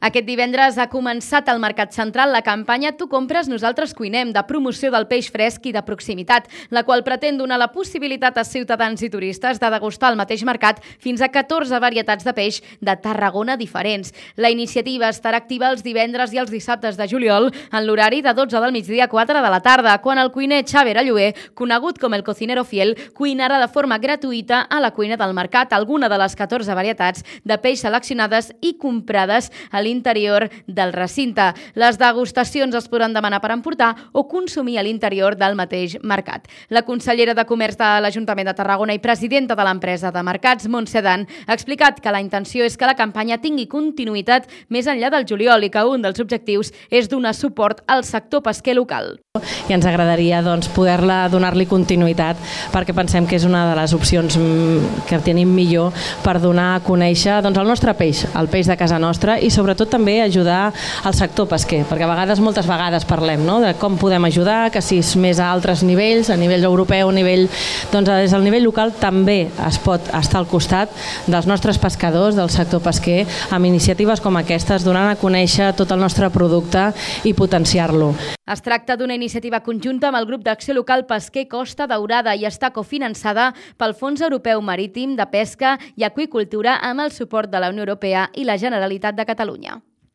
Aquest divendres ha començat al Mercat Central la campanya Tu compres, nosaltres cuinem, de promoció del peix fresc i de proximitat, la qual pretén donar la possibilitat a ciutadans i turistes de degustar al mateix mercat fins a 14 varietats de peix de Tarragona diferents. La iniciativa estarà activa els divendres i els dissabtes de juliol en l'horari de 12 del migdia a 4 de la tarda, quan el cuiner Xavier Allué, conegut com el cocinero fiel, cuinarà de forma gratuïta a la cuina del mercat alguna de les 14 varietats de peix seleccionades i comprades a l'interior del recinte. Les degustacions es podran demanar per emportar o consumir a l'interior del mateix mercat. La consellera de Comerç de l'Ajuntament de Tarragona i presidenta de l'empresa de mercats, Montse Dan, ha explicat que la intenció és que la campanya tingui continuïtat més enllà del juliol i que un dels objectius és donar suport al sector pesquer local. I ens agradaria donar-li continuïtat perquè pensem que és una de les opcions que tenim millor per donar a conèixer el nostre peix, el peix de casa nostra, i sobretot també ajudar al sector pesquer, perquè moltes vegades parlem de com podem ajudar, que si és més a altres nivells, a nivell europeu, des del nivell local també es pot estar al costat dels nostres pescadors, del sector pesquer, amb iniciatives com aquestes, donant a conèixer tot el nostre producte i potenciar-lo. Es tracta d'una iniciativa conjunta amb el grup d'acció local pesquer Costa Daurada i està cofinançada pel Fons Europeu Marítim de Pesca i Aqüicultura amb el suport de la Unió Europea i la Generalitat de Catalunya.